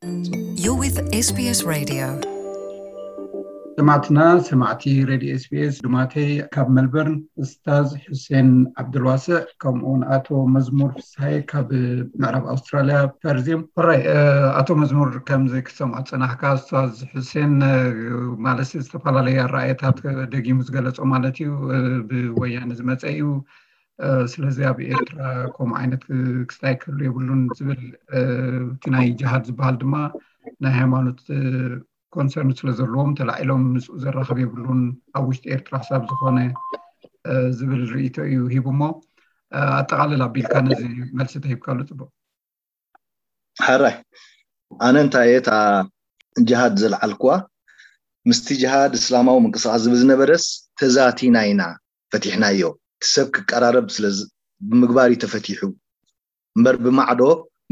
You're with S B S Radio. ሰማዕትና ሰማዕቲ ሬድዮ ኤስቢኤስ፣ ድማተይ ካብ መልበርን እስታዝ ሑሴን ዓብዱልዋስዕ፣ ከምኡውን ኣቶ መዝሙር ፍስሃይ ካብ ምዕራብ ኣውስትራልያ ፐርዝ እዮም። ሕራይ ኣቶ መዝሙር፣ ከምዚ ክትሰምዖ ዝጸናሕካ፣ እስታዝ ሑሴን ማለት ዝተፈላለየ ኣረኣእያታት ደጊሙ ዝገለጾ ማለት እዩ። ብወያነ ዝመጸ እዩ። ስለዚ ኣብ ኤርትራ ከምኡ ዓይነት ክስታይ ክህሉ የብሉን ዝብል፣ እቲ ናይ ጅሃድ ዝበሃል ድማ ናይ ሃይማኖት ኮንሰርን ስለ ዘለዎም ተላዒሎም ምስኡ ዘራኽብ የብሉን፣ ኣብ ውሽጢ ኤርትራ ክሳብ ዝኾነ ዝብል ርእይቶ እዩ ሂቡ። እሞ ኣጠቓልል ኣቢልካ ነዚ መልሲ ተሂብካሉ ጽቡቕ። ሕራይ ኣነ እንታይ እየ እታ ጅሃድ ዘልዓልኩዋ፣ ምስቲ ጅሃድ እስላማዊ ምንቅስቃስ ዝብል ዝነበረስ ተዛቲና ኢና ፈቲሕናዮ። እቲ ሰብ ክቀራረብ ስለ ዝ- ብምግባር እዩ ተፈቲሑ እምበር፣ ብማዕዶ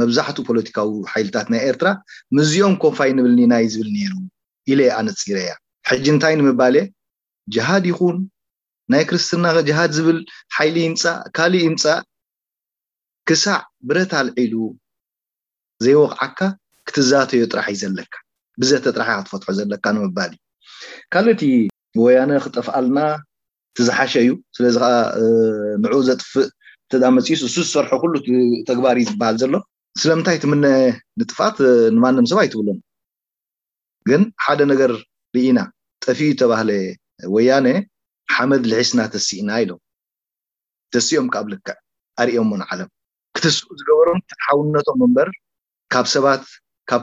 መብዛሕትኡ ፖለቲካዊ ሓይልታት ናይ ኤርትራ ምስዚኦም ኮፋይ ንብልኒ ናይ ዝብል ነይሩ ኢለ ኣነፂረያ። ሕጂ እንታይ ንምባል እየ? ጅሃድ ይኹን ናይ ክርስትና ጅሃድ ዝብል ሓይሊ ይምፃእ ካልእ ይምፃእ፣ ክሳዕ ብረት ኣልዒሉ ዘይወቕዓካ ክትዛተዮ ጥራሕ እዩ ዘለካ። ብዘተ ጥራሕ ክትፈትሖ ዘለካ ንምባል እዩ። ካልእ እቲ ወያነ ክጠፍኣልና እቲ ዝሓሸ እዩ። ስለዚ ከዓ ንዑ ዘጥፍእ ተዳ መፅዩስ እሱ ዝሰርሖ ኩሉ ተግባር እዩ ዝበሃል ዘሎ። ስለምንታይ ትምነ ንጥፋት ንማንም ሰብ ኣይትብሎም። ግን ሓደ ነገር ርኢና፣ ጠፊኡ ተባህለ ወያነ ሓመድ ልሒስና ተሲእና ኢሎም ተሲኦም ካብ ልክዕ ኣርእዮሞ ንዓለም ክትስኡ ዝገበሮም ፍትሓውነቶም እምበር ካብ ሰባት ካብ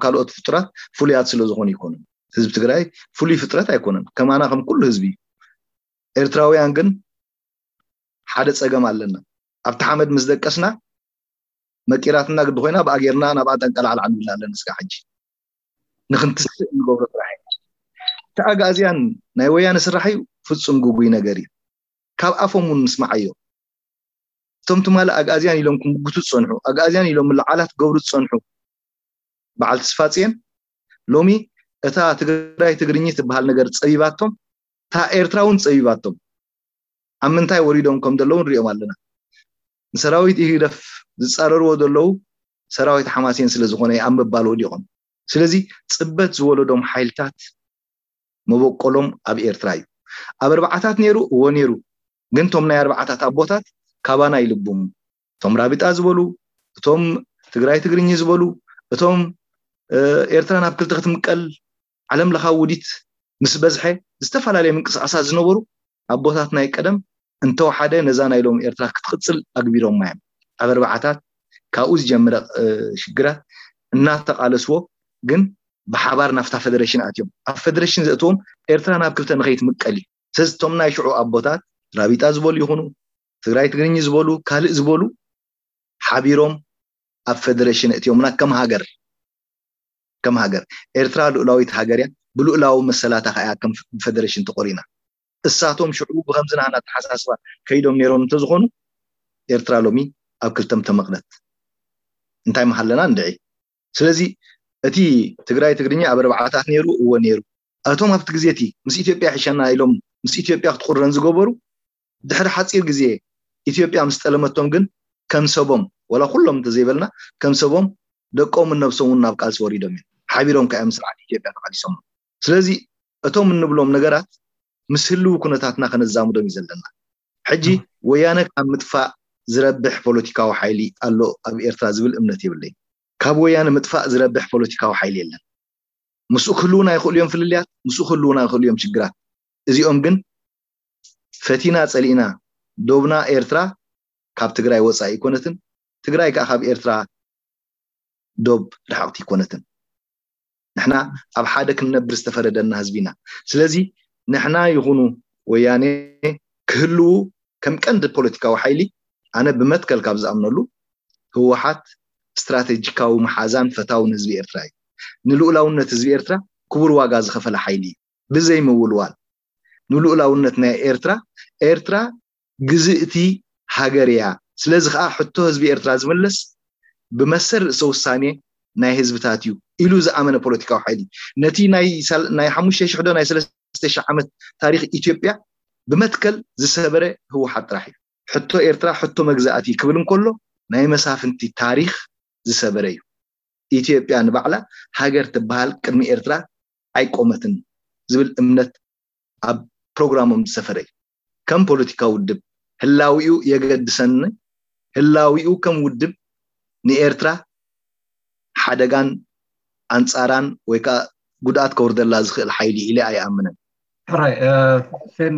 ካልኦት ፍጡራት ፍሉያት ስለ ዝኾኑ ይኮኑን። ህዝቢ ትግራይ ፍሉይ ፍጥረት ኣይኮነን። ከማና ከም ኩሉ ህዝቢ እዩ። ኤርትራውያን ግን ሓደ ፀገም ኣለና። ኣብቲ ሓመድ ምስ ደቀስና መቂራትና ግዲ ኮይና ብኣጌርና ናብኣ ጠንቀላዕላዕ ንብላ ኣለና። እስካ ሕጂ ንክንትስእ እንገብሮ ስራሕ እዩ። እቲ ኣግኣዝያን ናይ ወያነ ስራሕ እዩ። ፍፁም ግጉይ ነገር እዩ። ካብ ኣፎም እውን ንስማዓዮ። እቶም ትማሊ ኣግኣዝያን ኢሎም ክምጉቱ ዝፀንሑ፣ ኣግኣዝያን ኢሎም ምልዓላት ክገብሩ ዝፀንሑ በዓል ተስፋፅዮን ሎሚ እታ ትግራይ ትግርኝ ትበሃል ነገር ፀቢባቶም፣ እታ ኤርትራ እውን ፀቢባቶም ኣብ ምንታይ ወሪዶም ከም ዘለዉ ንሪኦም ኣለና። ንሰራዊት ኢህግደፍ ዝፃረርዎ ዘለዉ ሰራዊት ሓማሴን ስለ ዝኾነ ኣብ ምባል ወዲቖም። ስለዚ ፅበት ዝወለዶም ሓይልታት መበቆሎም ኣብ ኤርትራ እዩ። ኣብ ኣርባዓታት ነይሩ፣ እዎ ነይሩ። ግን እቶም ናይ ኣርባዓታት ኣቦታት ካባና ይልቡም። እቶም ራቢጣ ዝበሉ፣ እቶም ትግራይ ትግርኝ ዝበሉ፣ እቶም ኤርትራ ናብ ክልተ ክትምቀል ዓለም ለኻዊ ውዲት ምስ በዝሐ ዝተፈላለየ ምንቅስቃሳት ዝነበሩ ኣቦታት ናይ ቀደም እንተወሓደ ነዛ ናይ ሎም ኤርትራ ክትቅፅል ኣግቢሮማ እዮም። ኣብ ኣርባዓታት ካብኡ ዝጀምረ ሽግራት እናተቃለስዎ ግን ብሓባር ናፍታ ፈደረሽን ኣትዮም። ኣብ ፈደረሽን ዘእትዎም ኤርትራ ናብ ክልተ ንኸይትምቀል እዩ። ስለዚ እቶም ናይ ሽዑ ኣቦታት ራቢጣ ዝበሉ ይኹኑ ትግራይ ትግርኝ ዝበሉ ካልእ ዝበሉ ሓቢሮም ኣብ ፈደረሽን እትዮምና ከም ሃገር ከም ሃገር ኤርትራ ልኡላዊት ሃገር እያ። ብልኡላዊ መሰላታ ከኣ ከም ፈደረሽን ተቆሪና። እሳቶም ሽዑ ብከምዚ ናህና ኣተሓሳስባ ከይዶም ነይሮም እንተዝኾኑ ኤርትራ ሎሚ ኣብ ክልተ ምተመቕለት እንታይ ምሃለና እንድዒ። ስለዚ እቲ ትግራይ ትግርኛ ኣብ ኣርባዓታት ነይሩ እወ ነይሩ። እቶም ኣብቲ ግዜ እቲ ምስ ኢትዮጵያ ይሕሸና ኢሎም ምስ ኢትዮጵያ ክትቁረን ዝገበሩ ድሕሪ ሓፂር ግዜ ኢትዮጵያ ምስ ጠለመቶም ግን ከም ሰቦም ወላ ኩሎም እንተዘይበልና ከም ሰቦም ደቆምን ነብሶም እውን ናብ ቃልሲ ወሪዶም እዮም። ሓቢሮም ከኣ ምስ ስርዓት ኢትዮጵያ ተቃሊሶም። ስለዚ እቶም እንብሎም ነገራት ምስ ህልው ኩነታትና ከነዛምዶም እዩ ዘለና። ሕጂ ወያነ ካብ ምጥፋእ ዝረብሕ ፖለቲካዊ ሓይሊ ኣሎ ኣብ ኤርትራ ዝብል እምነት የብለይን። ካብ ወያነ ምጥፋእ ዝረብሕ ፖለቲካዊ ሓይሊ የለን። ምስኡ ክህልውና ይኽእሉ እዮም ፍልልያት፣ ምስኡ ክህልውና ይኽእሉ እዮም ሽግራት። እዚኦም ግን ፈቲና ጸሊእና ዶብና ኤርትራ ካብ ትግራይ ወጻኢ ኣይኮነትን፣ ትግራይ ከኣ ካብ ኤርትራ ዶብ ርሕቕቲ ኣይኮነትን። ንሕና ኣብ ሓደ ክንነብር ዝተፈረደና ህዝቢ ኢና። ስለዚ ንሕና ይኹኑ ወያኔ ክህልዉ ከም ቀንዲ ፖለቲካዊ ሓይሊ ኣነ ብመትከል ካብ ዝኣምነሉ ህወሓት ስትራቴጂካዊ መሓዛን ፈታውን ህዝቢ ኤርትራ እዩ። ንልኡላውነት ህዝቢ ኤርትራ ክቡር ዋጋ ዝኸፈለ ሓይሊ እዩ። ብዘይ ምውልዋል ንልኡላውነት ናይ ኤርትራ ኤርትራ ግዝእቲ ሃገር እያ። ስለዚ ከዓ ሕቶ ህዝቢ ኤርትራ ዝምለስ ብመሰል ርእሰ ውሳኔ ናይ ህዝብታት እዩ ኢሉ ዝኣመነ ፖለቲካዊ ሓይሊ ነቲ ናይ ሓሙሽተ ሽሕ ዶ ናይ ሰለስተ ሽሕ ዓመት ታሪክ ኢትዮጵያ ብመትከል ዝሰበረ ህወሓት ጥራሕ እዩ። ሕቶ ኤርትራ ሕቶ መግዛእቲ ክብል እንከሎ ናይ መሳፍንቲ ታሪክ ዝሰበረ እዩ። ኢትዮጵያ ንባዕላ ሃገር ትበሃል ቅድሚ ኤርትራ ኣይቆመትን ዝብል እምነት ኣብ ፕሮግራሞም ዝሰፈረ እዩ። ከም ፖለቲካዊ ውድብ ህላዊኡ የገድሰኒ። ህላዊኡ ከም ውድብ ንኤርትራ ሓደጋን ኣንጻራን ወይ ከዓ ጉድኣት ከውርደላ ዝኽእል ሓይሊ ኢለ ኣይኣምንን። ሕራይ ሴን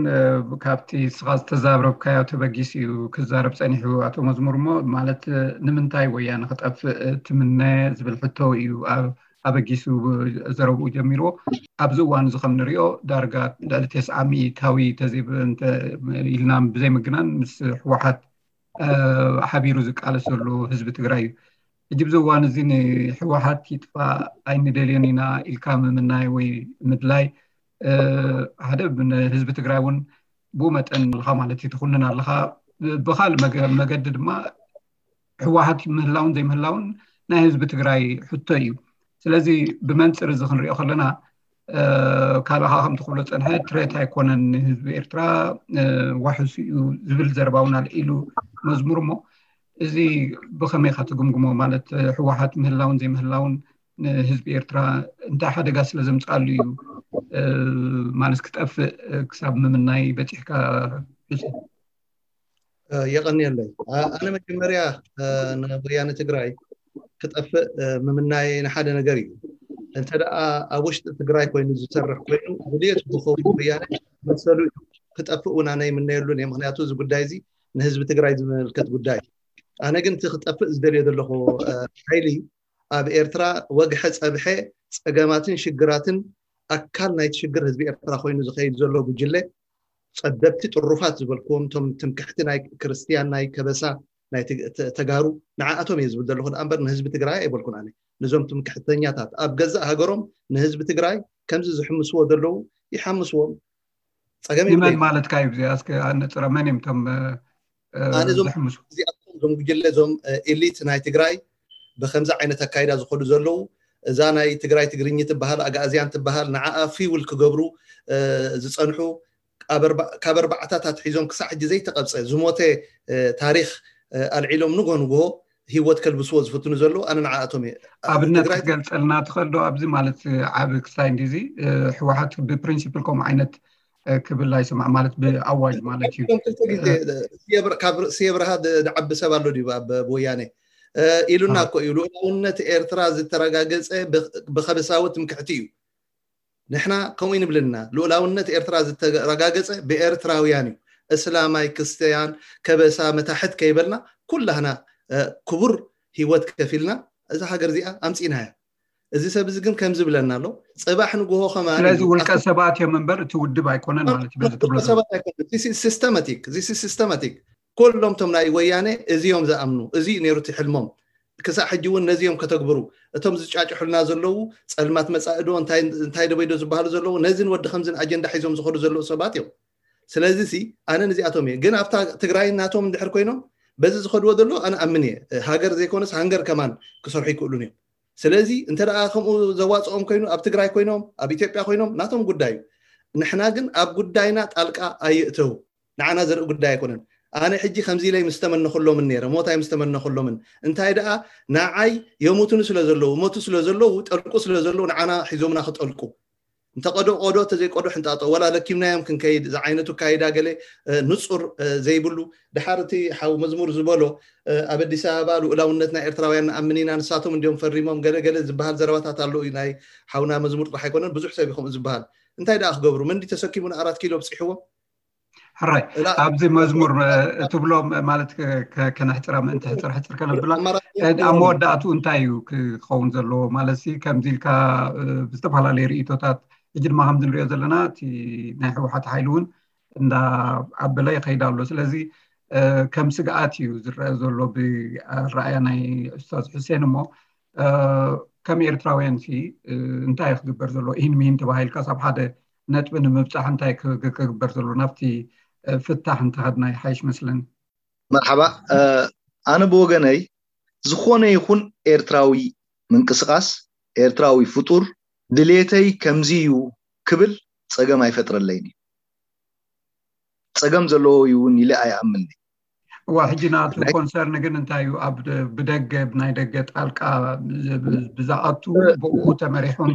ካብቲ ስኻ ዝተዛረብካዮ ተበጊስ እዩ ክዛረብ ፀኒሑ ኣቶ መዝሙር እሞ ማለት ንምንታይ ወያነ ክጠፍእ ትምነ ዝብል ሕቶ እዩ ኣበጊሱ ዘረብኡ ጀሚርዎ። ኣብዚ እዋን እዚ ከም ንሪኦ ዳርጋ ልዕሊ ተስዓ ሚእታዊ ተዘይብ ኢልና ብዘይምግናን ምስ ህወሓት ሓቢሩ ዝቃለስ ዘሎ ህዝቢ ትግራይ እዩ። ሕጂ ብዚ እዋን እዚ ንህወሓት ይጥፋእ ኣይንደልዮን ኢና ኢልካ ምምናይ ወይ ምድላይ ሓደ ንህዝቢ ትግራይ እውን ብኡ መጠን ኣለካ ማለት እዩ ትኩንን ኣለካ። ብካልእ መገዲ ድማ ህወሓት ምህላውን ዘይምህላውን ናይ ህዝቢ ትግራይ ሕቶ እዩ። ስለዚ ብመንፅር እዚ ክንሪኦ ከለና ካልኻ ከምቲ ክብሎ ፀንሐ ትሬት ኣይኮነን ንህዝቢ ኤርትራ ዋሕሱ እዩ ዝብል ዘረባ እውን ኣልዒሉ መዝሙር እሞ እዚ ብኸመይ ኢኻ ትግምግሞ? ማለት ህወሓት ምህላውን ዘይምህላውን ንህዝቢ ኤርትራ እንታይ ሓደጋ ስለ ዘምፅኣሉ እዩ ማለት ክጠፍእ ክሳብ ምምናይ በፂሕካ? የቐንየለይ። ኣነ መጀመርያ ንወያነ ትግራይ ክጠፍእ ምምናይ ንሓደ ነገር እዩ። እንተ ደኣ ኣብ ውሽጢ ትግራይ ኮይኑ ዝሰርሕ ኮይኑ ድልየት ዝኸውን ወያነ መሰሉ እዩ ክጠፍእ እውን ኣነ ይምነየሉን እየ። ምክንያቱ እዚ ጉዳይ እዚ ንህዝቢ ትግራይ ዝምልከት ጉዳይ እዩ። ኣነ ግን እቲ ክጠፍእ ዝደልዮ ዘለኹ ሓይሊ ኣብ ኤርትራ ወግሐ ጸብሐ ጸገማትን ሽግራትን ኣካል ናይቲ ሽግር ህዝቢ ኤርትራ ኮይኑ ዝኸይድ ዘሎ ጉጅለ ጸበብቲ ጥሩፋት ዝበልክዎም እቶም ትምክሕቲ ናይ ክርስትያን ናይ ከበሳ ናይ ተጋሩ ንዓኣቶም እየ ዝብል ዘለኹ ደኣ እምበር ንህዝቢ ትግራይ ኣይበልኩን ኣነ። ንዞም ትምክሕተኛታት ኣብ ገዛእ ሃገሮም ንህዝቢ ትግራይ ከምዚ ዝሕምስዎ ዘለዉ ይሓምስዎም። ጸገም መን ማለትካ እዩ? ዚኣ እስከ ኣነጽረ መን እዮም እቶም ዝሕምሱ? እዚኣቶም እዞም ጉጅለ እዞም ኤሊት ናይ ትግራይ ብከምዚ ዓይነት ኣካይዳ ዝኸዱ ዘለዉ እዛ ናይ ትግራይ ትግርኝ ትበሃል ኣግኣዝያን ትበሃል ንዓኣ ፊውል ክገብሩ ዝፀንሑ ካብ ኣርባዕታት ኣትሒዞም ክሳዕ ሕጂ ዘይተቐብፀ ዝሞተ ታሪክ ኣልዒሎም ንጎ ንጎ ህይወት ከልብስዎ ዝፍትኑ ዘለዉ ኣነ ንዓኣቶም እየ። ኣብነት ክትገልፀልና ትኽእል ዶ? ኣብዚ ማለት ዓብ ክስታይ እንዲዚ ህወሓት ብፕሪንሲፕል ከምኡ ዓይነት ክብል ኣይሰማዕ ማለት ብኣዋጅ ማለት እዩ። ስየ ብርሃ ዝዓቢ ሰብ ኣሎ ድዩ ኣብ ወያነ ኢሉና እኮ እዩ። ልኡላውነት ኤርትራ ዝተረጋገፀ ብከበሳዊ ትምክሕቲ እዩ። ንሕና ከምኡ ይንብልና ልኡላውነት ኤርትራ ዝተረጋገፀ ብኤርትራውያን እዩ። እስላማይ ክስተያን ከበሳ መታሕት ከይበልና ኩላህና ክቡር ህይወት ከፊልና እዛ ሃገር እዚኣ ኣምፂናያ። እዚ ሰብ እዚ ግን ከምዚ ብለና ኣሎ ፅባሕ ንግሆ ከማን ስለዚ ውልቀ ሰባት እዮም እምበር እቲ ውድብ ኣይኮነን ማለት እዩ። በዚ ትብሎ ውልቀ ሰባት ኣይኮነን። ሲስተማቲክ ሲስተማቲክ ኩሎም እቶም ናይ ወያነ እዚዮም ዝኣምኑ እዚ ነይሩ እቲ ሕልሞም ክሳዕ ሕጂ እውን ነዚዮም ከተግብሩ እቶም ዝጫጭሑልና ዘለዉ ፀልማት መፃኢ ዶ እንታይ ዶ በይዶ ዝበሃሉ ዘለዉ ነዚን ወዲ ከምዝን ኣጀንዳ ሒዞም ዝኸዱ ዘለዉ ሰባት እዮም። ስለዚ ሲ ኣነ ንዚኣቶም እየ ግን ኣብታ ትግራይ ናቶም እንድሕር ኮይኖም በዚ ዝኸድዎ ዘሎ ኣነ ኣምን እየ ሃገር ዘይኮነስ ሃንገር ከማን ክሰርሑ ይክእሉን እዮም። ስለዚ እንተ ደኣ ከምኡ ዘዋፅኦም ኮይኑ ኣብ ትግራይ ኮይኖም ኣብ ኢትዮጵያ ኮይኖም ናቶም ጉዳይ እዩ። ንሕና ግን ኣብ ጉዳይና ጣልቃ ኣይእተው። ንዓና ዘርኢ ጉዳይ ኣይኮነን። ኣነ ሕጂ ከምዚ ኢለይ ምስ ተመነኹሎምን ነይረ ሞት ኣይ ምስ ተመነኹሎምን እንታይ ደኣ ንዓይ የሙቱኒ ስለ ዘለዉ ሞቱ ስለ ዘለዉ ጠልቁ ስለ ዘለዉ ንዓና ሒዞምና ክጠልቁ እንተ ቀዶ ቆዶ ተዘይቆዶ ሕንጣጦ ወላ ለኪምናዮም ክንከይድ ዝዓይነቱ ካይዳ ገለ ንፁር ዘይብሉ ድሓር እቲ ሓው መዝሙር ዝበሎ ኣብ ኣዲስ ኣበባ ልኡላውነትና ኤርትራውያን ንኣምን ኢና ንሳቶም እንዲዮም ፈሪሞም ገለ ገለ ዝበሃል ዘረባታት ኣሎ እዩ ናይ ሓውና መዝሙር ጥራሕ ኣይኮነን ብዙሕ ሰብ እዩ ከምኡ ዝበሃል እንታይ ደኣ ክገብሩ መንዲ ተሰኪሙ ንኣራት ኪሎ ኣብፂሕዎም ሕራይ ኣብዚ መዝሙር እትብሎ ማለት ከነሕፅራ ምእንቲ ሕፅር ሕፅር ከነብላ ኣብ መወዳእቱ እንታይ እዩ ክኸውን ዘለዎ ማለት ከምዚ ኢልካ ብዝተፈላለዩ ርእቶታት ሕጂ ድማ ከምዚ ንሪኦ ዘለና እቲ ናይ ህወሓት ሓይሊ እውን እንዳ ዓበለ ይኸይድ ኣሎ ስለዚ ከም ስግኣት እዩ ዝረአ ዘሎ ብኣረኣያ ናይ ኡስታዝ ሑሴን እሞ ከም ኤርትራውያን ሲ እንታይ ክግበር ዘሎ ኢሂን ሚሂን ተባሂልካ ሳብ ሓደ ነጥቢ ንምብፃሕ እንታይ ክግበር ዘሎ ናብቲ ፍታሕ እንተኸድና ይሓይሽ መስለኒ። መርሓባ ኣነ ብወገነይ ዝኾነ ይኹን ኤርትራዊ ምንቅስቃስ ኤርትራዊ ፍጡር ድሌተይ ከምዚ እዩ ክብል ፀገም ኣይፈጥረለይን እዩ። ፀገም ዘለዎ እዩ እውን ኢለ ኣይኣምንን። እዋ ሕጂ ናቱ ኮንሰርን ግን እንታይ እዩ? ኣብ ብደገ ብናይ ደገ ጣልቃ ብዝኣቱ ብኡ ተመሪሑን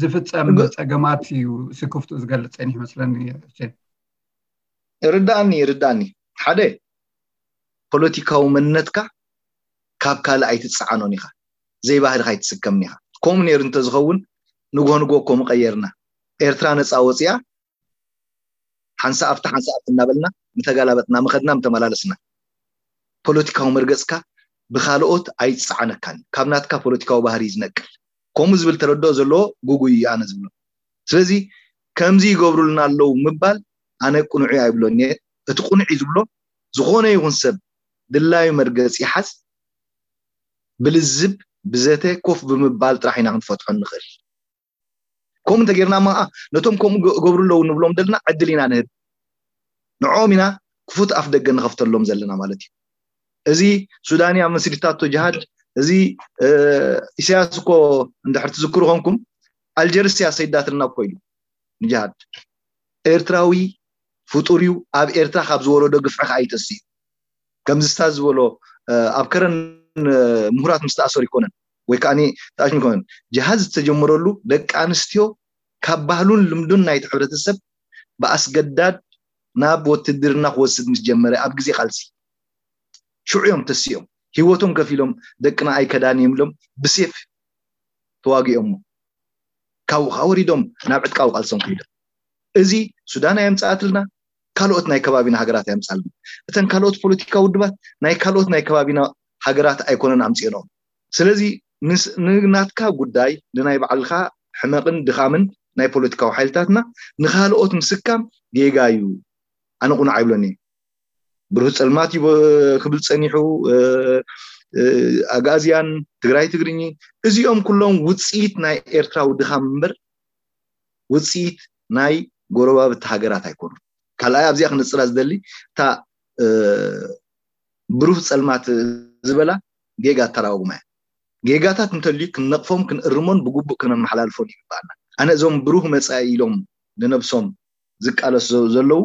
ዝፍፀም ፀገማት እዩ ስክፍትኡ ዝገልፅ ጸኒሑ መስለኒ። ርዳእኒ ርዳእኒ ሓደ ፖለቲካዊ መንነትካ ካብ ካልእ ኣይትፀዓኖን ኢኻ፣ ዘይባህልኻ ኣይትስከምን ኢኻ። ከምኡ ነይሩ እንተዝኸውን ንግሆ ንግሆ እኮ ምቐየርና። ኤርትራ ነፃ ወፂኣ ሓንሳ ኣብቲ ሓንሳ ኣብቲ እናበልና ምተጋላበጥና ምኸድና ምተመላለስና። ፖለቲካዊ መርገፅካ ብካልኦት ኣይፀዓነካን፣ ካብ ናትካ ፖለቲካዊ ባህሪ እዩ ዝነቅል። ከምኡ ዝብል ተረድኦ ዘለዎ ጉጉይ እዩ ኣነ ዝብሎ። ስለዚ ከምዚ ይገብሩልና ኣለዉ ምባል ኣነ ቅኑዕ እዩ ኣይብሎን እየ። እቲ ቅኑዕ እዩ ዝብሎ ዝኾነ ይኹን ሰብ ድላዩ መርገፂ ይሓዝ፣ ብልዝብ ብዘተ ኮፍ ብምባል ጥራሕ ኢና ክንፈትሖ ንኽእል። ከምኡ እንተጌርና ማ ነቶም ከምኡ ገብሩ ኣለዉ ንብሎም ዘለና ዕድል ኢና ንህብ። ንዕኦም ኢና ክፉት ኣፍ ደገ ንኸፍተሎም ዘለና ማለት እዩ። እዚ ሱዳንያ መስሪታቶ ጅሃድ፣ እዚ ኢሳያስ እኮ እንድሕር ትዝክሩ ኮንኩም ኣልጀርስ እያ ሰይዳትና እኮ ኢሉ ንጅሃድ። ኤርትራዊ ፍጡር እዩ። ኣብ ኤርትራ ካብ ዝወረዶ ግፍዒ ከዓ ይጠስ እዩ። ከምዚ ስታዝ ዝበሎ ኣብ ከረን ምሁራት ምስ ተኣሰሩ ይኮነን ወይ ከዓ ተኣሽሙ ይኮነን፣ ጅሃድ ዝተጀመረሉ ደቂ ኣንስትዮ ካብ ባህሉን ልምዱን ናይቲ ሕብረተሰብ ብኣስገዳድ ናብ ወትድርና ክወስድ ምስ ጀመረ ኣብ ግዜ ቃልሲ ሽዑ እዮም ተሲኦም፣ ህይወቶም ከፊሎም ደቅና ኣይከዳን እዮም ኢሎም ብሴፍ ተዋጊኦሞ ካብኡ ከዓ ወሪዶም ናብ ዕጥቃዊ ቃልሶም ከይዶም። እዚ ሱዳን ኣየምፅኣትልና፣ ካልኦት ናይ ከባቢና ሃገራት ኣየምፅኣልና። እተን ካልኦት ፖለቲካ ውድባት ናይ ካልኦት ናይ ከባቢና ሃገራት ኣይኮነን ኣምፅኦንኦም። ስለዚ ንናትካ ጉዳይ ንናይ ባዕልካ ሕመቕን ድኻምን ናይ ፖለቲካዊ ሓይልታትና ንካልኦት ምስካም ጌጋ እዩ። ኣነ ቁኑዕ ኣይብሎን እየ። ብሩህ ፀልማት እዩ ክብል ፀኒሑ፣ ኣግኣዝያን፣ ትግራይ ትግርኚ፣ እዚኦም ኩሎም ውፅኢት ናይ ኤርትራዊ ድኻም እምበር ውፅኢት ናይ ጎረባብቲ ሃገራት ኣይኮኑን። ካልኣይ ኣብዚኣ ክነፅራ ዝደሊ እታ ብሩህ ፀልማት ዝበላ ጌጋ ኣተራጉማ እያ። ጌጋታት እንተልዩ ክንነቕፎም ክንእርሞን ብግቡእ ክነመሓላልፎን ይግባኣና። ኣነ እዞም ብሩህ መፃኢ ኢሎም ንነብሶም ዝቃለሱ ዘለዉ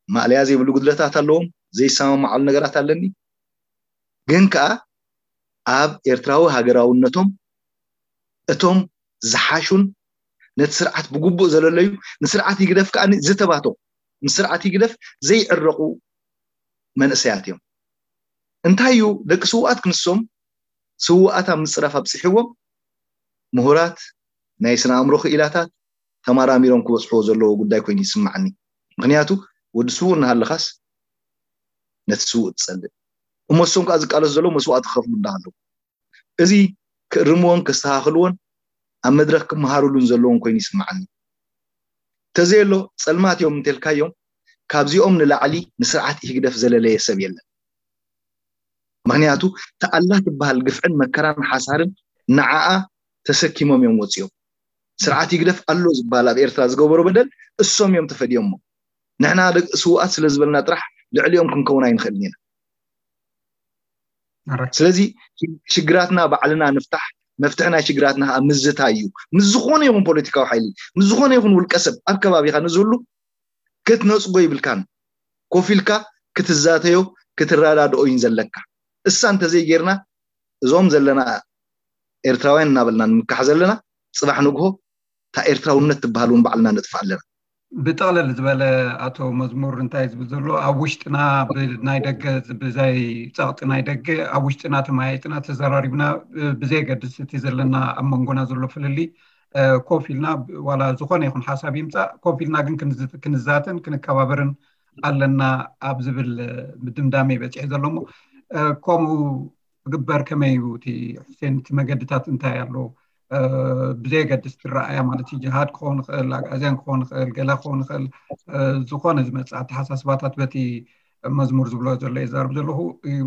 ማእለያ ዘይብሉ ጉድለታት ኣለዎም፣ ዘይሰማማዓሉ ነገራት ኣለኒ። ግን ከዓ ኣብ ኤርትራዊ ሃገራውነቶም እቶም ዝሓሹን ነቲ ስርዓት ብግቡእ ዘለለዩ ንስርዓት ይግደፍ ከዓ ዝተባተው ምስ ስርዓት ይግደፍ ዘይዕረቑ መንእሰያት እዮም። እንታይ እዩ ደቂ ስውኣት ክንሶም ስውኣት ኣብ ምፅራፍ ኣብፅሕዎም ምሁራት ናይ ስነ ኣእምሮ ክኢላታት ተማራሚሮም ክበፅሕዎ ዘለዎ ጉዳይ ኮይኑ ይስማዓኒ። ምክንያቱ ወዲ ስውእ እናሃለኻስ ነቲ ስውእ ትፀልእ እሞ እሶም ከዓ ዝቃለሱ ዘለዉ መስዋእቲ ክኸፍሉ እንዳሃለዉ እዚ ክእርምዎን ከስተኻኽልዎን ኣብ መድረክ ክመሃሩሉን ዘለዎም ኮይኑ ይስማዓኒ። ተዘየሎ ፀልማት እዮም እንተልካዮም ካብዚኦም ንላዕሊ ንስርዓት ኢህግደፍ ዘለለየ ሰብ የለን። ምክንያቱ ተኣላ ትበሃል ግፍዕን መከራን ሓሳርን ንዓኣ ተሰኪሞም እዮም ወፂኦም። ስርዓት ይግደፍ ኣሎ ዝበሃል ኣብ ኤርትራ ዝገበሮ በደል እሶም እዮም ተፈዲዮሞ። ንሕና ደቂ ስውኣት ስለ ዝበልና ጥራሕ ልዕሊኦም ክንከውን ኣይንኽእልን ኢና። ስለዚ ሽግራትና ባዕልና ንፍታሕ። መፍትሒ ናይ ሽግራትና ከዓ ምዝታይ እዩ። ምስ ዝኾነ ይኹን ፖለቲካዊ ሓይሊ፣ ምስ ዝኾነ ይኹን ውልቀ ሰብ ኣብ ከባቢኻ ንዝህሉ ክትነፅጎ ይብልካን። ኮፍ ኢልካ ክትዛተዮ ክትረዳድኦ እዩን ዘለካ። እሳ እንተዘይጌርና እዞም ዘለና ኤርትራውያን እናበልና ንምካሕ ዘለና ፅባሕ ንግሆ እታ ኤርትራውነት ትበሃል እውን ባዕልና ነጥፋ ኣለና። ብጥቕልል ዝበለ ኣቶ መዝሙር እንታይ ዝብል ዘሎ ኣብ ውሽጥና ብናይ ደገ ብዘይ ፀቕጢ ናይ ደገ ኣብ ውሽጥና ተመያይጥና ተዘራሪብና ብዘየገድስ እቲ ዘለና ኣብ መንጎና ዘሎ ፍልልይ ኮፍ ኢልና ዋላ ዝኾነ ይኹን ሓሳብ ይምፃእ ኮፍ ኢልና ግን ክንዛተን ክንከባበርን ኣለና ኣብ ዝብል ድምዳሜ በፂሑ ዘሎ እሞ ከምኡ ክግበር ከመይ እዩ እቲ? ሕሴን እቲ መገድታት እንታይ ኣሎ? ብዘየገድስ ትረኣያ ማለት እዩ ጅሃድ ክኸውን ይኽእል ኣግኣዝያን ክኸውን ይኽእል ገለ ክኸውን ይኽእል። ዝኾነ ዝመፅእ ኣተሓሳስባታት በቲ መዝሙር ዝብሎ ዘሎ የዛርብ ዘለኹ።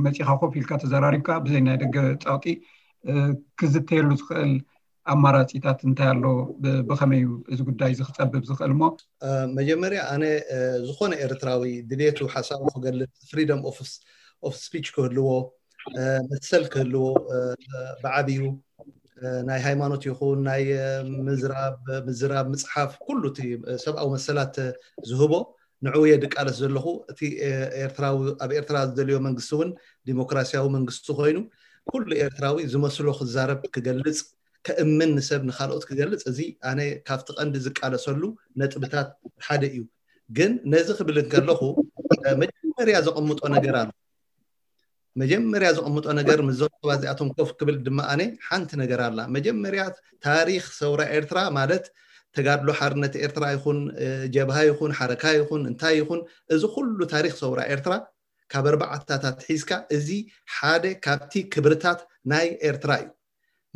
መፂኻ ኮፍ ኢልካ ተዘራሪብካ ብዘይ ናይ ደገ ፀቕጢ ክዝተየሉ ዝኽእል ኣማራፂታት እንታይ ኣሎ? ብኸመይ እዩ እዚ ጉዳይ እዚ ክፀብብ ዝኽእል እሞ? መጀመርያ ኣነ ዝኾነ ኤርትራዊ ድሌቱ ሓሳቡ ክገልፅ freedom of speech ክህልዎ መሰል ክህልዎ ብዓብዩ ናይ ሃይማኖት ይኹን ናይ ምዝራብ ምዝራብ ምፅሓፍ ኩሉ እቲ ሰብኣዊ መሰላት ዝህቦ ንዕኡ እየ ድቃለስ ዘለኹ። እቲ ኤርትራዊ ኣብ ኤርትራ ዝደልዮ መንግስቲ እውን ዲሞክራሲያዊ መንግስቲ ኮይኑ ኩሉ ኤርትራዊ ዝመስሎ ክዛረብ ክገልጽ ከእምን ንሰብ ንካልኦት ክገልጽ እዚ ኣነ ካብቲ ቀንዲ ዝቃለሰሉ ነጥብታት ሓደ እዩ። ግን ነዚ ክብል እንከለኹ መጀመርያ ዘቐምጦ ነገር ኣሎ። መጀመርያ ዘቐምጦ ነገር ምስዞም ሰባት እዚኣቶም ኮፍ ክብል ድማ ኣነ ሓንቲ ነገር ኣላ። መጀመርያ ታሪኽ ሰውራ ኤርትራ ማለት ተጋድሎ ሓርነት ኤርትራ ይኹን ጀብሃ ይኹን ሓረካ ይኹን እንታይ ይኹን እዚ ኩሉ ታሪኽ ሰውራ ኤርትራ ካብ ኣርባዕታታት ሒዝካ እዚ ሓደ ካብቲ ክብርታት ናይ ኤርትራ እዩ።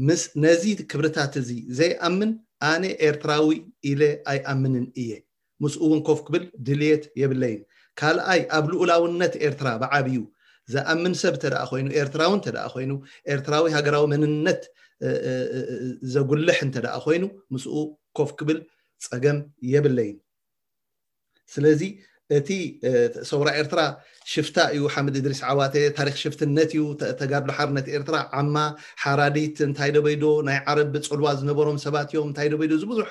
ምስ ነዚ ክብርታት እዚ ዘይኣምን ኣነ ኤርትራዊ ኢለ ኣይኣምንን እየ። ምስኡ እውን ኮፍ ክብል ድልየት የብለይን። ካልኣይ ኣብ ልኡላውነት ኤርትራ ብዓብዩ ዝኣምን ሰብ እንተደኣ ኮይኑ ኤርትራዊ እንተደኣ ኮይኑ ኤርትራዊ ሃገራዊ መንነት ዘጉልሕ እንተደኣ ኮይኑ ምስኡ ኮፍ ክብል ጸገም የብለይን። ስለዚ እቲ ሰውራ ኤርትራ ሽፍታ እዩ ሓምድ እድሪስ ዓዋተ ታሪክ ሽፍትነት እዩ። ተጋድሎ ሓርነት ኤርትራ ዓማ ሓራዲት እንታይ ደበይዶ ናይ ዓረብ ጽልዋ ዝነበሮም ሰባት እዮም እንታይ ደበይዶ እዚ ብዙሕ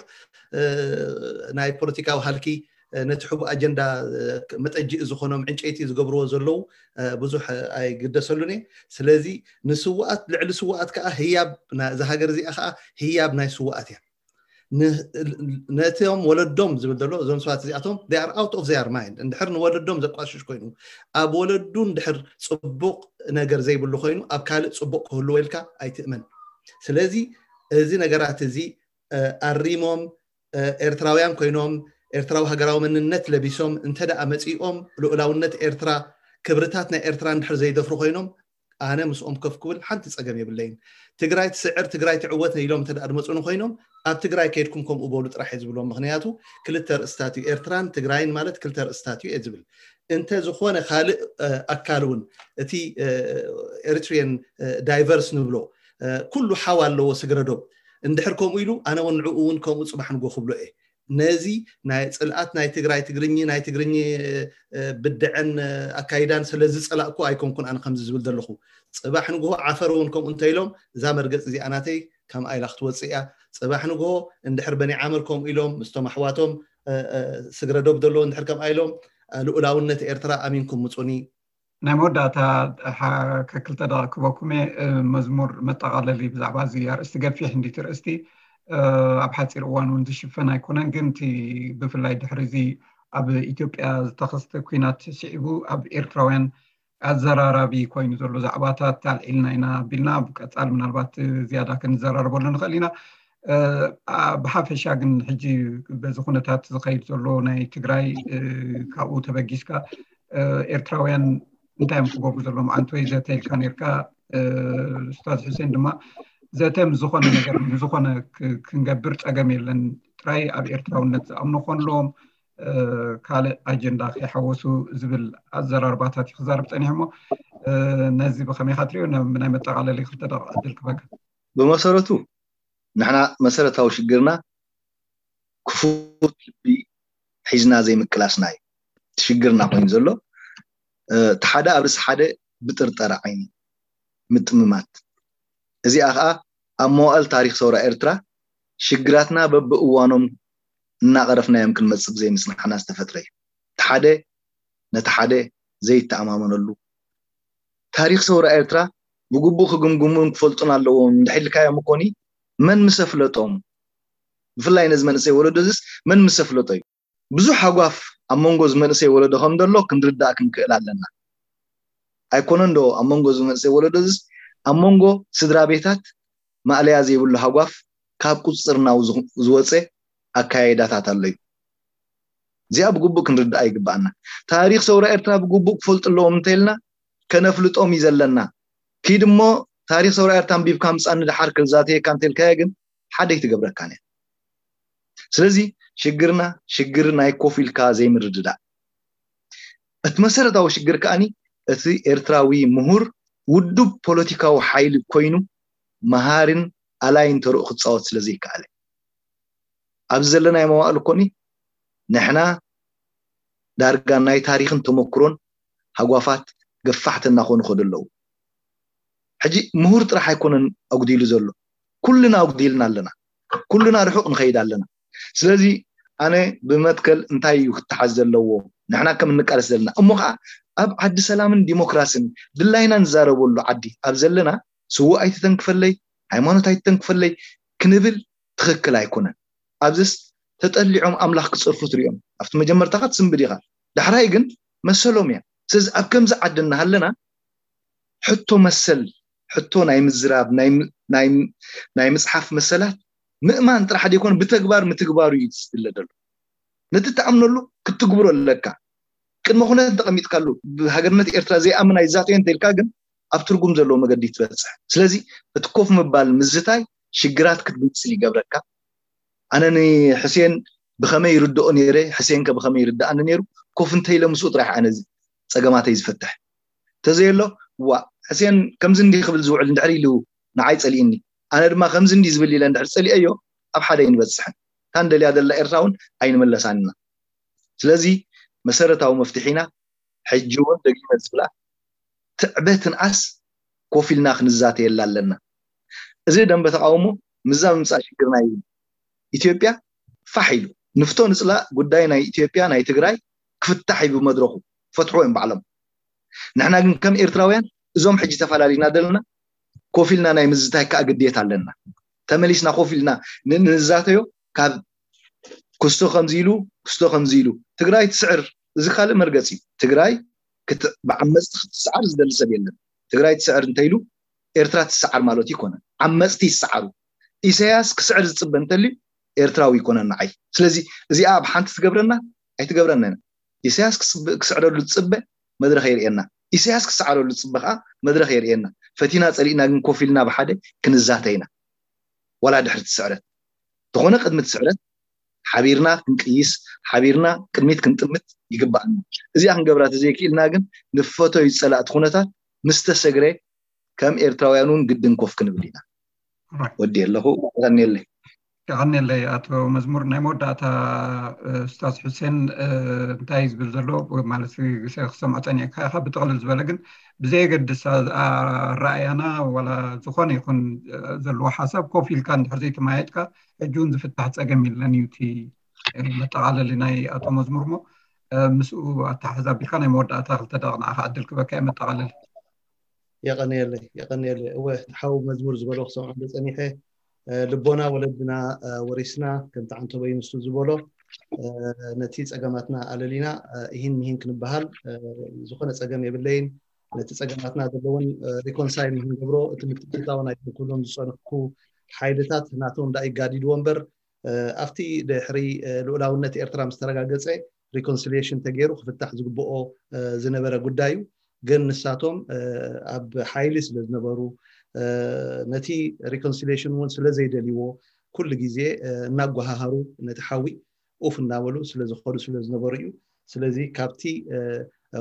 ናይ ፖለቲካዊ ሃልኪ ነቲ ሕቡእ ኣጀንዳ መጠጅእ ዝኾኖም ዕንጨይቲ ዝገብርዎ ዘለዉ ብዙሕ ኣይግደሰሉን እየ። ስለዚ ንስዋኣት ልዕሊ ስዋኣት ከዓ ህያብ እዛ ሃገር እዚኣ ከዓ ህያብ ናይ ስዋኣት እያ። ነቶም ወለዶም ዝብል ዘሎ እዞም ሰባት እዚኣቶም they are out of their mind። እንድሕር ንወለዶም ዘቋሽሽ ኮይኑ ኣብ ወለዱ እንድሕር ፅቡቕ ነገር ዘይብሉ ኮይኑ ኣብ ካልእ ፅቡቕ ክህልዎ ኢልካ ኣይትእመን። ስለዚ እዚ ነገራት እዚ ኣሪሞም ኤርትራውያን ኮይኖም ኤርትራዊ ሃገራዊ መንነት ለቢሶም እንተ ደኣ መጺኦም ልኡላውነት ኤርትራ ክብርታት ናይ ኤርትራ እንድሕር ዘይደፍሩ ኮይኖም ኣነ ምስኦም ከፍ ክብል ሓንቲ ጸገም የብለይን። ትግራይ ትስዕር ትግራይ ትዕወት ኢሎም እንተ ደኣ ድመጹኒ ኮይኖም ኣብ ትግራይ ከይድኩም ከምኡ በሉ ጥራሕ እየ ዝብሎም። ምክንያቱ ክልተ ርእስታት እዩ ኤርትራን ትግራይን ማለት ክልተ ርእስታት እዩ እየ ዝብል። እንተ ዝኾነ ካልእ ኣካል እውን እቲ ኤሪትሪየን ዳይቨርስ ንብሎ ኩሉ ሓው ኣለዎ ስግረዶብ እንድሕር ከምኡ ኢሉ ኣነ እውን ንዕኡ እውን ከምኡ ፅባሕ ንጎ ክብሎ እየ። ነዚ ናይ ፅልኣት ናይ ትግራይ ትግርኚ ናይ ትግርኚ ብድዐን ኣካይዳን ስለ ዝፀላእኩ ኣይኮንኩን ኣነ ከምዚ ዝብል ዘለኹ። ፅባሕ ንግሆ ዓፈር እውን ከምኡ እንተኢሎም እዛ መርገፂ እዚኣ ናተይ ከምኣ ኢላ ክትወፅእ እያ። ፅባሕ ንግሆ እንድሕር በኒ ዓመር ከምኡ ኢሎም ምስቶም ኣሕዋቶም ስግረ ዶብ ዘለዎ እንድሕር ከምኣ ኢሎም ልኡላውነት ኤርትራ ኣሚንኩም ምፁኒ። ናይ መወዳእታ ከክልተ ደቂ ክበኩም እየ። መዝሙር መጠቓለሊ ብዛዕባ እዚ ኣርእስቲ ገፊሕ እንዲቲ ርእስቲ ኣብ ሓፂር እዋን እውን ዝሽፈን ኣይኮነን። ግን እቲ ብፍላይ ድሕሪ እዚ ኣብ ኢትዮጵያ ዝተኸስተ ኩናት ስዒቡ ኣብ ኤርትራውያን ኣዘራራቢ ኮይኑ ዘሎ ዛዕባታት ኣልዒልና ኢና ኣቢልና ኣብ ቀፃል ምናልባት ዝያዳ ክንዘራረበሉ ንኽእል ኢና። ብሓፈሻ ግን ሕጂ በዚ ኩነታት ዝኸይድ ዘሎ ናይ ትግራይ ካብኡ ተበጊስካ ኤርትራውያን እንታይ እዮም ክገብሩ ዘለዎም ኣንተ ወይ ዘተ ኢልካ ነርካ። ኡስታዝ ሑሴን ድማ ዘተ ምስ ዝኾነ ነገር ንዝኾነ ክንገብር ጸገም የለን፣ ጥራይ ኣብ ኤርትራውነት ዝኣምኑ ክኾንሎም ካልእ ኣጀንዳ ከይሓወሱ ዝብል ኣዘራርባታት እዩ ክዛረብ ጸኒሑ። እሞ ነዚ ብኸመይ ኢኻ ትሪኦ? ናይ መጠቓለሊ ክልተ ደቂቕ ዕድል ክበካ። ብመሰረቱ ንሕና መሰረታዊ ሽግርና ክፉት ልቢ ሒዝና ዘይምቅላስና እዩ ሽግርና ኮይኑ ዘሎ። እቲ ሓደ ኣብ ርእሲ ሓደ ብጥርጠራ ዓይኒ ምጥምማት። እዚኣ ከዓ ኣብ መዋእል ታሪክ ሰውራ ኤርትራ ሽግራትና በብእዋኖም እናቐረፍናዮም ክንመፅእ ብዘይምፅናሕና ዝተፈጥረ እዩ። እቲ ሓደ ነቲ ሓደ ዘይተኣማመነሉ ታሪክ ሰውራ ኤርትራ ብግቡእ ክግምግሙን ክፈልጡን ኣለዎም። እንድሕር ኢልካዮም እኮኒ መን ምስ ኣፍለጦም? ብፍላይ ነዚ መንእሰይ ወለዶ እዚስ መን ምስ ኣፍለጦ እዩ? ብዙሕ ሃጓፍ ኣብ መንጎ እዚ መንእሰይ ወለዶ ከም ዘሎ ክንርዳእ ክንክእል ኣለና። ኣይኮነን ዶ ኣብ መንጎ እዚ መንእሰይ ወለዶ እዚስ ኣብ መንጎ ስድራ ቤታት ማእለያ ዘይብሉ ሃጓፍ ካብ ቁፅፅርና ዝወፀ ኣካያይዳታት ኣሎ እዩ። እዚኣ ብግቡእ ክንርዳእ ይግባኣና። ታሪክ ሰውራ ኤርትራ ብግቡእ ክፈልጡ ኣለዎም እንተኢልና ከነፍልጦም እዩ ዘለና። ኪድ እሞ ታሪክ ሰውራ ኤርትራ ኣንቢብካ ምፃኒ ድሓር ክዛተየካ እንተልካዮ ግን ሓደ ኣይትገብረካን እያ። ስለዚ ሽግርና ሽግር ናይ ኮፍ ኢልካ ዘይምርድዳእ። እቲ መሰረታዊ ሽግር ከኣኒ እቲ ኤርትራዊ ምሁር ውዱብ ፖለቲካዊ ሓይሊ ኮይኑ መሃርን ኣላይን ተርኡ ክፃወት ስለ ዘይከኣለ ኣብዚ ዘለናዮ መዋእል እኮኒ ንሕና ዳርጋ ናይ ታሪክን ተመክሮን ሃጓፋት ገፋሕቲ እናኾኑ ከዱ ኣለዉ። ሕጂ ምሁር ጥራሕ ኣይኮነን ኣጉዲሉ ዘሎ፣ ኩልና ኣጉዲልና ኣለና። ኩልና ርሑቕ ንኸይድ ኣለና። ስለዚ ኣነ ብመትከል እንታይ እዩ ክተሓዝ ዘለዎ? ንሕና ከም እንቃለስ ዘለና እሞ ከዓ ኣብ ዓዲ ሰላምን ዲሞክራስን ድላይና ንዛረበሉ ዓዲ ኣብ ዘለና ስዉእ ኣይትተንክፈለይ፣ ሃይማኖት ኣይትተንክፈለይ ክንብል ትኽክል ኣይኮነን። ኣብዚስ ተጠሊዖም ኣምላኽ ክጸርፉ ትሪኦም። ኣብቲ መጀመርታ ካ ትስንብድ ኢኻ፣ ዳሕራይ ግን መሰሎም እያ። ስለዚ ኣብ ከምዚ ዓዲ እናሃለና ሕቶ መሰል፣ ሕቶ ናይ ምዝራብ፣ ናይ ምጽሓፍ መሰላት ምእማን ጥራሕ ደይኮነ ብተግባር ምትግባሩ እዩ ዝድለ ዘሎ። ነቲ ትኣምነሉ ክትትግብሮ ኣለካ። ቅድመ ኩነት እንተቐሚጥካሉ ብሃገርነት ኤርትራ ዘይኣምን ኣይዛተዮ እንተኢልካ ግን ኣብ ትርጉም ዘለዎ መገዲ ትበፅሕ። ስለዚ እቲ ኮፍ ምባል ምዝታይ ሽግራት ክትብፅል ይገብረካ። ኣነ ንሕሴን ብኸመይ ይርድኦ ነይረ፣ ሕሴን ከ ብኸመይ ይርድኣኒ ነይሩ? ኮፍ እንተኢለ ምስኡ ጥራሕ ኣነ ፀገማተይ ዝፈትሕ። ተዘየሎ ዋ ሕሴን ከምዚ እንዲ ክብል ዝውዕል እንድሕር ኢሉ ንዓይ ፀሊእኒ፣ ኣነ ድማ ከምዚ እንዲ ዝብል ኢለ እንድሕር ፀሊአዮ ኣብ ሓደ ኣይንበፅሕን። እታ ንደልያ ዘለና ኤርትራ እውን ኣይንመለሳን ኢና። ስለዚ መሰረታዊ መፍትሒና ሕጂ እውን ደጊመ ዝብላ ትዕበትን ኣስ ኮፍ ኢልና ክንዛተየላ ኣለና። እዚ ደንበ ተቃውሞ ምዛ ምምፃእ ሽግር ናይ ኢትዮጵያ ፋሕ ኢሉ ንፍቶ ንፅላእ ጉዳይ ናይ ኢትዮጵያ ናይ ትግራይ ክፍታሕ እዩ ብመድረኹ ፈትሕዎ እዮም ባዕሎም። ንሕና ግን ከም ኤርትራውያን እዞም ሕጂ ተፈላለዩና ዘለና ኮፍ ኢልና ናይ ምዝታይ ከዓ ግዴታ ኣለና። ተመሊስና ኮፍ ኢልና ንዛተዮ ካብ ክስቶ ከምዚ ኢሉ ክስቶ ከምዚ ኢሉ ትግራይ ትስዕር። እዚ ካልእ መርገፂ እዩ። ትግራይ ብዓመፅቲ ክትስዓር ዝደሊ ሰብ የለን። ትግራይ ትስዕር እንተኢሉ ኤርትራ ትስዓር ማለት ይኮነን። ዓመፅቲ ይስዓሩ። ኢሳያስ ክስዕር ዝፅበ እንተልዩ ኤርትራዊ ይኮነን ንዓይ። ስለዚ እዚኣ ኣብ ሓንቲ ትገብረና ኣይትገብረና ኢና። ኢሳያስ ክስዕረሉ ዝፅበ መድረኽ የርእየና። ኢሳያስ ክስዓረሉ ዝፅበ ከዓ መድረኽ የርእየና። ፈቲና ፀሊእና ግን ኮፍ ኢልና ብሓደ ክንዛተ ኢና። ዋላ ድሕሪ ትስዕረት ተኾነ ቅድሚ ትስዕረት ሓቢርና ክንቅይስ ሓቢርና ቅድሚት ክንጥምት ይግባኣና። እዚኣ ክንገብራ ተዘይክኢልና ግን ንፈቶ ይፀላእቲ ኩነታት ምስ ተሰግረ ከም ኤርትራውያን እውን ግድን ኮፍ ክንብል ኢና። ወዲ ኣለኹ ቀኒየለይ። ቀኒየለይ ኣቶ መዝሙር። ናይ መወዳእታ ስታዝ ሕሴን እንታይ ዝብል ዘሎ ማለት ክሰምዖ ፀኒዕካ ኢኻ። ብጥቕልል ዝበለ ግን ብዘየገድስ ኣረኣያና ዋላ ዝኾነ ይኹን ዘለዎ ሓሳብ ኮፍ ኢልካ እንድሕር ዘይተመያየጥካ ሕጂ እውን ዝፍታሕ ፀገም የለን እዩ እቲ መጠቓለሊ ናይ ኣቶ መዝሙር። ሞ ምስኡ ኣተሓሕዛ ኣቢልካ ናይ መወዳእታ ክልተ ደቂቕ ንዓኻ ዕድል ክበካ እየ። መጠቓለሊ። የቐንየለይ የቐንየለይ። እወ፣ ሓው መዝሙር ዝበሎ ክሰምዖ እንደ ጸኒሐ፣ ልቦና ወለድና ወሪስና፣ ከምቲ ዓንተቦይ ንሱ ዝበሎ፣ ነቲ ጸገማትና ኣለሊና፣ ይህን ምሂን ክንበሃል ዝኾነ ጸገም የብለይን። ነቲ ጸገማትና ዘለውን ሪኮንሳይል ንክንገብሮ እቲ ምትእትታው ናይ ክብሎም ዝጸንሕኩ ሓይልታት ናቶም ዳ ይጋዲድዎ እምበር፣ ኣብቲ ድሕሪ ልኡላውነት ኤርትራ ምስ ተረጋገጸ ሪኮንሲሊየሽን ተገይሩ ክፍታሕ ዝግብኦ ዝነበረ ጉዳይ እዩ። ግን ንሳቶም ኣብ ሓይሊ ስለ ዝነበሩ፣ ነቲ ሪኮንሲሊየሽን እውን ስለ ዘይደልይዎ፣ ኩሉ ግዜ እናጓሃሃሩ ነቲ ሓዊ ኡፍ እናበሉ ስለ ዝኸዱ ስለ ዝነበሩ እዩ። ስለዚ ካብቲ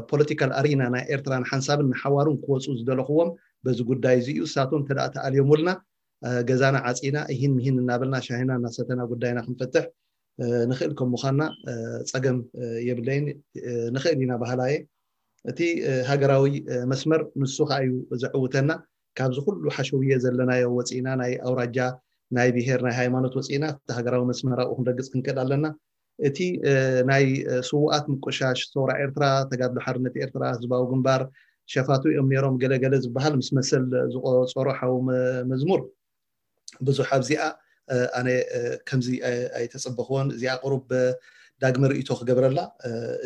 ፖለቲካል ኣሪና ናይ ኤርትራ ንሓንሳብን ንሓዋሩን ክወፁ ዝደለኽዎም በዚ ጉዳይ እዚ እዩ። ንሳቶም እንተ ደኣ ተኣልዮሙልና፣ ገዛና ዓፂና እሂን ምሂን እናበልና ሻሂና እናሰተና ጉዳይና ክንፈትሕ ንኽእል ከም ምዃንና ጸገም የብለይን። ንኽእል ኢና በሃላየ። እቲ ሃገራዊ መስመር ንሱ ከዓ እዩ ዘዕውተና። ካብዚ ኩሉ ሓሸውየ ዘለናዮ ወፂና፣ ናይ ኣውራጃ፣ ናይ ብሄር፣ ናይ ሃይማኖት ወፂና እቲ ሃገራዊ መስመር ኣብኡ ክንረግፅ ክንክእል ኣለና። እቲ ናይ ስውኣት ምቁሻሽ ሰውራ ኤርትራ፣ ተጋድሎ ሓርነት ኤርትራ፣ ህዝባዊ ግንባር ሸፋቱ እዮም ነይሮም ገለ ገለ ዝበሃል ምስ መሰል ዝቆፀሮ ሓው መዝሙር ብዙሕ ኣብዚኣ ኣነ ከምዚ ኣይተፀበኽዎን። እዚኣ ቁሩብ ዳግመ ርእይቶ ክገብረላ።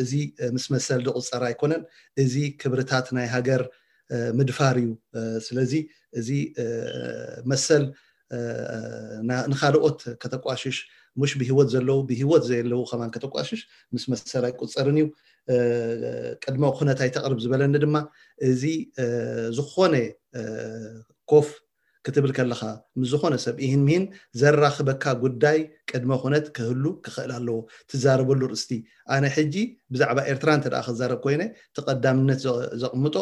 እዚ ምስ መሰል ዝቁፀር ኣይኮነን። እዚ ክብርታት ናይ ሃገር ምድፋር እዩ። ስለዚ እዚ መሰል ንካልኦት ከተቋሽሽ፣ ሙሽ ብህይወት ዘለዉ ብህይወት ዘየለዉ ከማን ከተቋሽሽ ምስ መሰል ኣይቁፀርን እዩ። ቅድመ ኩነት ኣይተቕርብ ዝበለኒ ድማ እዚ ዝኾነ ኮፍ ክትብል ከለኻ ምስ ዝኾነ ሰብ ኢህን ሚህን ዘራኽበካ ጉዳይ ቅድመ ኩነት ክህሉ ክኽእል ኣለዎ። ትዛረበሉ ርእስቲ ኣነ ሕጂ ብዛዕባ ኤርትራ እንተ ደኣ ክዛረብ ኮይነ እቲ ቀዳምነት ዘቕምጦ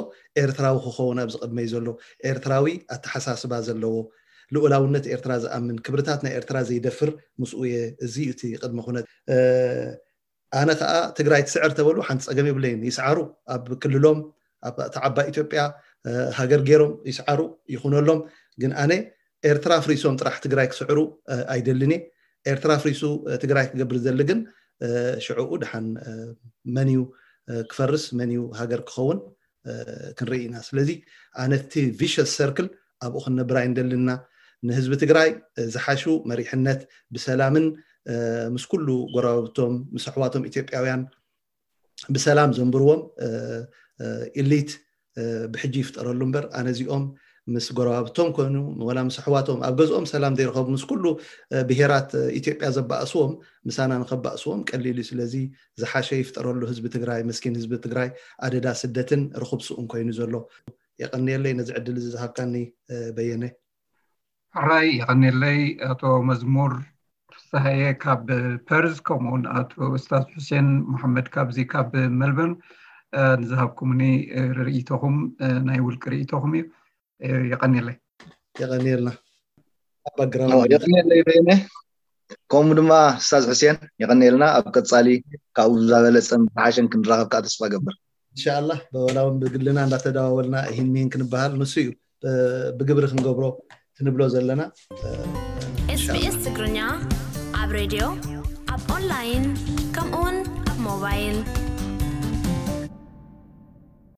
ኤርትራዊ ክኸውን ኣብዚ ቅድመይ ዘሎ ኤርትራዊ ኣተሓሳስባ ዘለዎ ልኡላውነት ኤርትራ ዝኣምን ክብርታት ናይ ኤርትራ ዘይደፍር ምስኡ እየ። እዚ እዩ እቲ ቅድመ ኩነት። ኣነ ከዓ ትግራይ ትስዕር ተበሉ ሓንቲ ፀገም የብለይን። ይስዓሩ፣ ኣብ ክልሎም ኣብ እታ ዓባይ ኢትዮጵያ ሃገር ገይሮም ይስዓሩ ይኹነሎም። ግን ኣነ ኤርትራ ፍሪሶም ጥራሕ ትግራይ ክስዕሩ ኣይደልን እየ። ኤርትራ ፍሪሱ ትግራይ ክገብር ዝደሊ ግን ሽዕኡ ድሓን መን እዩ ክፈርስ፣ መን እዩ ሃገር ክኸውን ክንርኢ ኢና። ስለዚ ኣነ እቲ ቪሸስ ሰርክል ኣብኡ ክንነብር ኣይንደልና። ንህዝቢ ትግራይ ዝሓሹ መሪሕነት ብሰላምን ምስ ኩሉ ጎረባብቶም ምስ ኣሕዋቶም ኢትዮጵያውያን ብሰላም ዘንብርዎም ኢሊት ብሕጂ ይፍጠረሉ እምበር ኣነ እዚኦም ምስ ጎረባብቶም ኮይኑ ወላ ምስ ኣሕዋቶም ኣብ ገዝኦም ሰላም ዘይረኸቡ ምስ ኩሉ ብሄራት ኢትዮጵያ ዘባእስዎም ምሳና ንኸባእስዎም ቀሊል እዩ። ስለዚ ዝሓሸ ይፍጠረሉ ህዝቢ ትግራይ፣ መስኪን ህዝቢ ትግራይ ኣደዳ ስደትን ርኹብ ስኡን ኮይኑ ዘሎ። የቐንየለይ ነዚ ዕድል እዚ ዝሃብካኒ በየነ። ሕራይ የቐንየለይ ኣቶ መዝሙር ፍስሃየ ካብ ፐርዝ፣ ከምኡውን ኣቶ እስታዝ ሑሴን መሓመድ ካብዚ ካብ መልበርን ንዝሃብኩምኒ ርእይቶኹም ናይ ውልቂ ርእይቶኹም እዩ። የቐንየለይ። የቐንየልና። የቐንየለይ በየነ። ከምኡ ድማ እስታዝ ሑሴን የቐንየልና። ኣብ ቀፃሊ ካብኡ ዝበለፀን ዝሓሸን ክንራኸብ ከዓ ተስፋ ገብር። እንሻላ ወላ እውን ብግልና እንዳተደዋወልና ይህን ሚህን ክንበሃል ንሱ እዩ ብግብሪ ክንገብሮ ክንብሎ ዘለና። ኤስቢኤስ ትግርኛ ኣብ ሬድዮ ኣብ ኦንላይን ከምኡ